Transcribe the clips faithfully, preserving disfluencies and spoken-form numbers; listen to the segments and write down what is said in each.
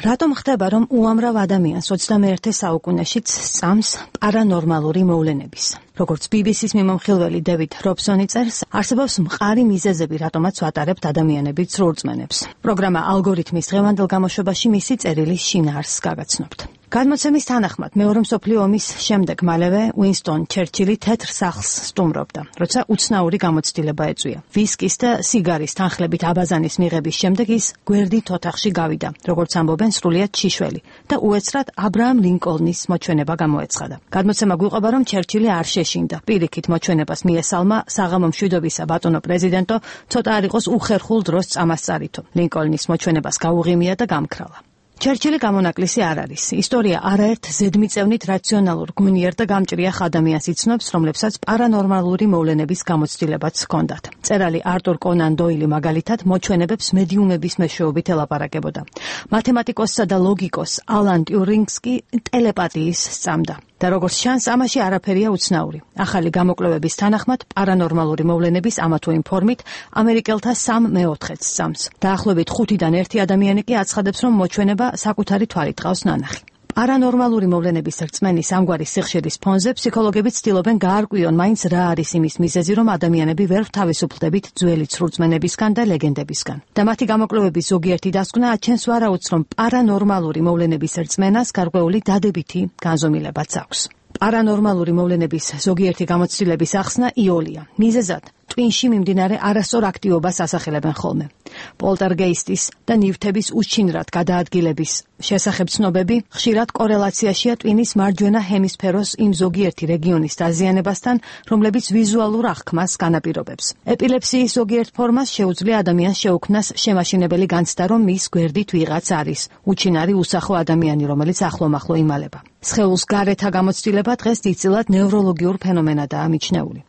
რატომ ხდება, რომ უამრავ ადამიანს ოცდამეერთე საუკუნეშიც სწამს პარანორმალური მოვლენების? როგორც ბი ბი სის მიმომხილველი დევიდ რობსონი წერს, არსებობს მყარი მიზეზები, რატომაც ვატარებთ ადამიანებით სრულწმენებს. პროგრამა ალგორითმის დღევანდელ გამოშვებაში მისი წერილის შინაარსს გაგაცნობთ. გადმოცემის თანახმად, მეორე მსოფლიო ომის შემდეგ მალევე უინსტონ ჩერჩილი თეთრ სახლს სტუმრობდა, როცა უცნაური გამოცდილება ეწვია. ვისკის და სიგარის თანხლებით აბაზანის მიღების შემდეგ ის გვერდით ოთახში გავიდა, როგორც ამბობენ, სრულიად შიშველი და უეცრად აბრაამ ლინკოლნის მოჩვენება გამოეცხადა. გადმოცემა გვიყვება, რომ ჩერჩილი არ შეშინდა. პირიქით მოჩვენებას მიესალმა საღამო მშვიდობისა ბატონო პრეზიდენტო, ცოტა არ იყოს უხერხულ დროს წამასწარითო. ლინკოლნის მოჩვენებას გაუღიმია და გამქრალა. ჩერჩილი გამონაკლისი არ არის. ისტორია არაერთ ზედმიწევნით რაციონალურ, გონიერ და გამჭრიახ ადამიანს იცნობს, რომლებსაც პარანორმალური მოვლენების გამოცდილებაც ჰქონდათ. მწერალი არტურ კონან დოილი მაგალითად მოჩვენებებს მედიუმების მეშვეობით ელაპარაკებოდა. მათემატიკოსსა და ლოგიკოს ალან ტიურინგს კი ტელეპათიის სწამდა. და როგორც ჩანს, ამაში არაფერია უცნაური. ახალი გამოკვლევების თანახმად, პარანორმალური მოვლენების ამა თუ იმ ფორმით ამერიკელთა სამ მეოთხედს სწამს. დაახლოებით ხუთიდან ერთი ადამიანი კი აცხადებს, რომ მოჩვენება საკუთარი თვალით ყავს ნანახი. პარანორმალური მოვლენების რწმენის ამგვარი სიხშირის ფონზე ფსიქოლოგები ცდილობენ გაარკვიონ მაინც რა არის იმის მიზეზი, რომ ადამიანები ვერ თავისუფლდებით ძველი ცრურწმენებისგან და ლეგენდებისგან. და მათი გამოკვლევების ზოგიერთი დასკვნა აჩენს ვარაუდს, რომ პარანორმალური მოვლენების რწმენას გარკვეული დადებითი განზომილებაც აქვს. პარანორმალური მოვლენების ზოგიერთი გამოცდილების ახსნა იოლია. მიზეზად ტვინში მიმდინარე არასწორ აქტივობას ასახელებენ ხოლმე. პოლტერგეისტის და ნივთების უშჩინრად გადაადგილების შესახებ ცნობები ხშირად კორელაციაშია ტვინის მარჯვენა ჰემისფეროს იმ ზოგიერთი რეგიონის დაზიანებასთან, რომლებიც ვიზუალურ აღქმას განაპირობებს. ეპილეფსიის ზოგიერთ ფორმას შეუძლია ადამიანს შეუქმნას შემაშინებელი განცდა, რომ მის გვერდით ვიღაც არის, უჩინარი უსახო ადამიანი, რომელიც ახლომახლო იმალება. სხეულს გარეთა გამოცდილება დღეს დიდწილად ნევროლოგიურ ფენომენადაა მიჩნეული.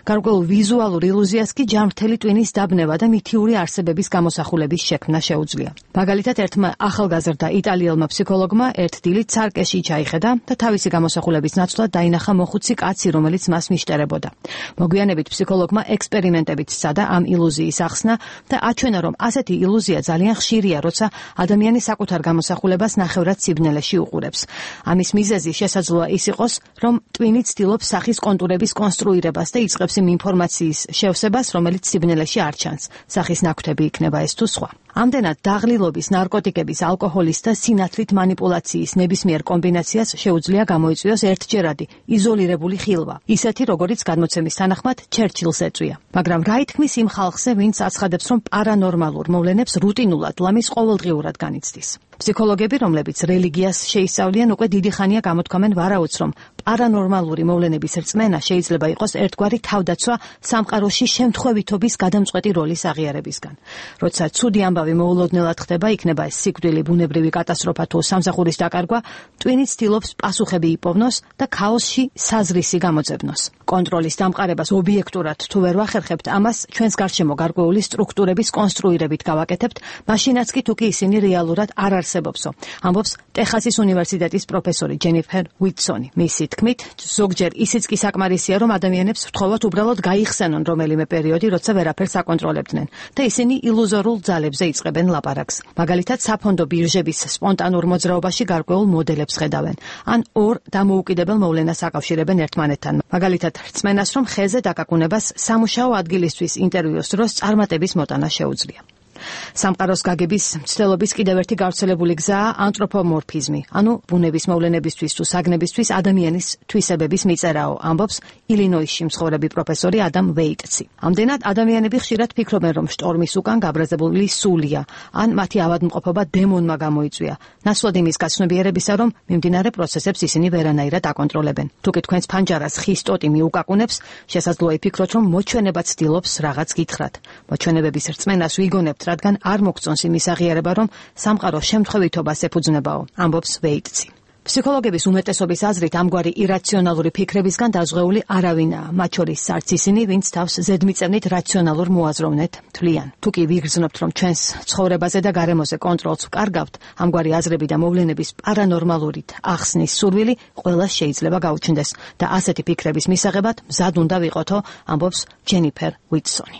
გარკვეულ ვიზუალურ ილუზიას კი ჯანმრთელი ტვინის დაბნება და მითიური არსებების გამოსახულების შექმნა შეუძლია. მაგალითად, ერთმა ახალგაზრდა იტალიელმა ფსიქოლოგმა ერთ დილით ცარკეში ჩაიხედა და თავისი გამოსახულების ნაცვლად დაინახა მოხუცი კაცი, რომელიც მას მიშტერებოდა. მოგვიანებით ფსიქოლოგმა ექსპერიმენტებით სცადა ამ ილუზიის ახსნა და აჩვენა, რომ ასეთი ილუზია ძალიან ხშირია, როცა ადამიანი საკუთარ გამოსახულებას ნახევრად სიბნელეში უყურებს. ამის მიზეზი შესაძლოა ის იყოს, რომ ტვინი ცდილობს სახის კონტურების კონსტრუირებას და იწყებს იმ ინფორმაციის შევსებას, რომელიც სიბნელეში არ ჩანს. სახის ნაკვთები იქნება ეს თუ სხვა. ამდენად დაღლილობის, ნარკოტიკების, ალკოჰოლის და სინათლით манипуляციის ნებისმიერ კომბინაციას შეუძლია გამოიწვიოს ერთჯერადი, იზოლირებული ხილვა, ისეთი როგორიც გადმოცემის თანახმად ჩერჩილს ეწვია. მაგრამ რა ითქმის იმ ხალხზე, ვინც აცხადებს, რომ პარანორმალურ მოვლენებს რუტინულად, ლამის ყოველდღიურად განიცდის. ფსიქოლოგები, რომლებიც რელიგიას შეისწავლიან, უკვე დიდი ხანია გამოთქვამენ ვარაუდს, რომ პარანორმალური მოვლენების რწმენა შეიძლება იყოს ერთგვარი თავდაცვა სამყაროში შემთხვევითობის გადამწყვეტი როლის აღიარებისგან. როცა ცუდი ამბავი მოულოდნელად ხდება, იქნება ეს სიკვდილი, ბუნებრივი კატასტროფა თუ სამსახურის დაკარგვა, ტვინი ცდილობს პასუხები იპოვნოს და ქაოსში საზრისი გამოძებნოს. კონტროლის დამყარებას ობიექტურად თუ ვერ ვახერხებთ, ამას ჩვენს გარშემო გარკვეული სტრუქტურების კონსტრუირებით გავაკეთებთ, მაშინაც კი თუ კი ისინი რეალურად არ არსებობსო, ამბობს ტეხასის უნივერსიტეტის პროფესორი ჯენიფერ უიტსონი. მისი თქმით, ზოგჯერ ისიც კი საკმარისია, რომ ადამიანებს ვთხოვოთ უბრალოდ გაიხსენონ რომელიმე პერიოდი, როცა ვერაფერს აკონტროლებდნენ და ისინი ილუზორულ ძალებზე იწყებენ ლაპარაკს. მაგალითად, საფონდო ბირჟების სპონტანურ მოძრაობაში გარკვეულ მოდელებს ხედავენ, ან ორ დამოუკიდებელ მოვლენას აკავშირებენ ერთმანეთთან. მაგალითად, რწმენას, რომ ხეზე დაკაკუნებას სამუშაო ადგილისთვის ინტერვიუს დროს წარმატების მოტანა შეუძლია. სამყაროს გაგების მცდელობის კიდევ ერთი გავრცელებული გზაა ანთროპომორფიზმი, ანუ ბუნების მოვლენებისთვის თუ საგნებისთვის ადამიანის თვისებების მიწერაო, ამბობს ილინოისში მცხოვრები პროფესორი ადამ ვეიტცი. ამდენად ადამიანები ხშირად ფიქრობენ, რომ შტორმის უკან გაბრაზებული სულია, ან მათი ავადმყოფობა დემონმა გამოიწვია, ნაცვლად იმის გაცნობიერებისა, რომ მიმდინარე პროცესებს ისინი ვერანაირად აკონტროლებენ. თუკი თქვენს ფანჯარას ხის ტოტი მიუკაკუნებს, შესაძლოა იფიქროთ, რომ მოჩვენება ცდილობს რაღაც გითხრათ. მოჩვენებების რწმენას ვიგონებთ, რადგან არ მოგწონს იმის აღიარება, რომ სამყარო შემთხვევითობას ეფუძნებაო, ამბობს ვეიტცი. ფსიქოლოგების უმეტესობის აზრით ამგვარი ირაციონალური ფიქრებისგან დაზღვეული არავინაა, მათ შორის არც ისინი, ვინც თავს ზედმიწევნით რაციონალურ მოაზროვნედ თვლიან. თუკი ვიგრძნობთ, რომ ჩვენს ცხოვრებაზე და გარემოზე კონტროლს ვკარგავთ, ამგვარი აზრები და მოვლენების პარანორმალურით ახსნის სურვილი ყველას შეიძლება გაუჩნდეს და ასეთი ფიქრების მისაღებად მზად უნდა ვიყოთო, ამბობს ჯენიფერ უიტსონი.